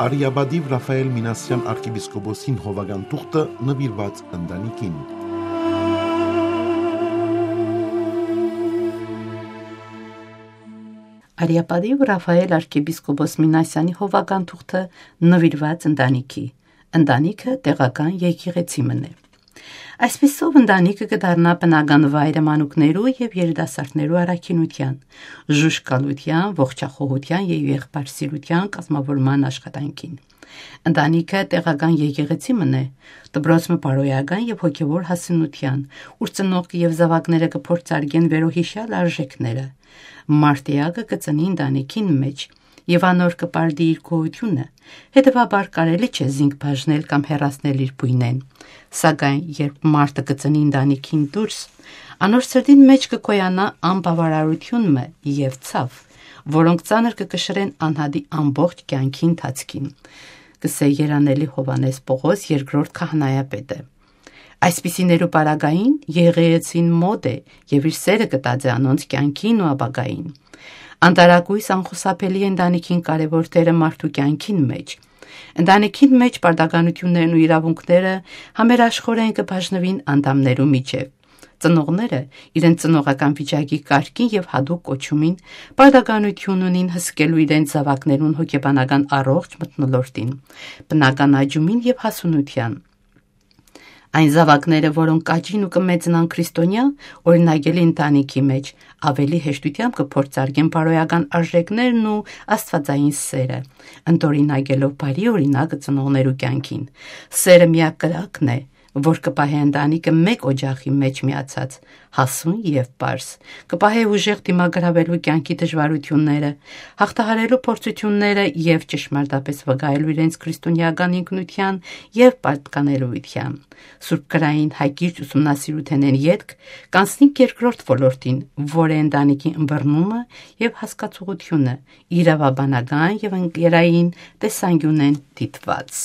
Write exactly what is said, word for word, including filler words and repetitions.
Արիապատիւ Ռաֆայէլ Մինասեան արքեպիսկոպոսին հովական թուղթը նուիրուած ընտանիքին։ Արիապատիւ Ռաֆայէլ արքեպիսկոպոս Մինասեանի հովական թուղթը նուիրուած ընտանիքի։ Ընտանիքը տեղական եկեղեցի մըն է։ Այսպիսով ընտանիքը կը դառնայ բնական վայրը մանուկներու եւ երիտասարդներու առաքինութեան, ժուժկալութեան, ողջախոհութեան եւ եղբայրսիրութեան կազմաւորման աշխատանքին։ Ընտանիքը տեղական եկեղեցի մըն է, դպրոց մը բարոյական եւ հոգեւոր հասունութեան, ուր ծնողքը եւ զաւակները կը փորձարկեն վերոյիշեալ արժեքները։ Մարդ էակը կը ծնի ընտանիքին մէջ եւ անոր կը պարտի իր գոյութիւնը, հետեւաբար կարելի չէ զինք բաժնել կամ հեռացնել իր բոյնէն։ Սակայն երբ մարդը կը ծնի ընտանիքին դուրս, անոր սրտին մէջ կը գոյանայ անբաւարարութիւն մը եւ ցաւ, որոնք ծանր կը կշռեն անհատի ամբողջ կեանքի ընթացքին, կ'ըսէ երանելի Յովհաննէս Պօղոս երկրորդ քահանայապետը։ Այսպիսիներու պարագային եկեղեցին մօտ է եւ իր սէրը կը տածէ անոնց կեանքին ու ապագային։ Անտարակոյս անխուսափելի է ընտանիքին կարեւոր դերը մարդու կեանքին մէջ։ Ընտանիքին մէջ պարտականութիւններն ու իրաւունքները համերաշխօրէն կը բաժնուին անդամներու միջեւ։ Ծնողները իրենց ծնողական վիճակի կարգին եւ յատուկ կոչումին պարտականութիւն ունին հսկելու իրենց զաւակներուն հոգեբանական առողջ մթնոլորտին, բնական աճումին եւ հասունութեան։ Այն զաւակները, որոնք կ'աճին ու կը մեծնան քրիստոնեայ օրինակելի ընտանիքի մէջ, աւելի հեշտութեամբ կը փորձարկեն բարոյական արժեքներն ու աստուածային սէրը, ընդօրինակելով բարի օրինակը ծնողներու կեանքին։ Սէրը միակ կրակն է, որ կը պահէ ընտանիքը մէկ օջախի մէջ միացած, հասուն եւ պարզ, կը պահէ ուժեղ դիմագրաւելու կեանքի դժուարութիւնները, յաղթահարելու փորձութիւնները եւ ճշմարտապէս վկայելու իրենց քրիստոնեական ինքնութեան եւ պատկանելիութեան։ Սուրբ գրային հակիրճ ուսումնասիրութենէն ետք կ'անցնինք երկրորդ ոլորտին, որ է ընտանիքի ըմբռնումը եւ հասկացողությունը, իրաւաբանական եւ ընկերային տեսանկիւնէն դիտուած։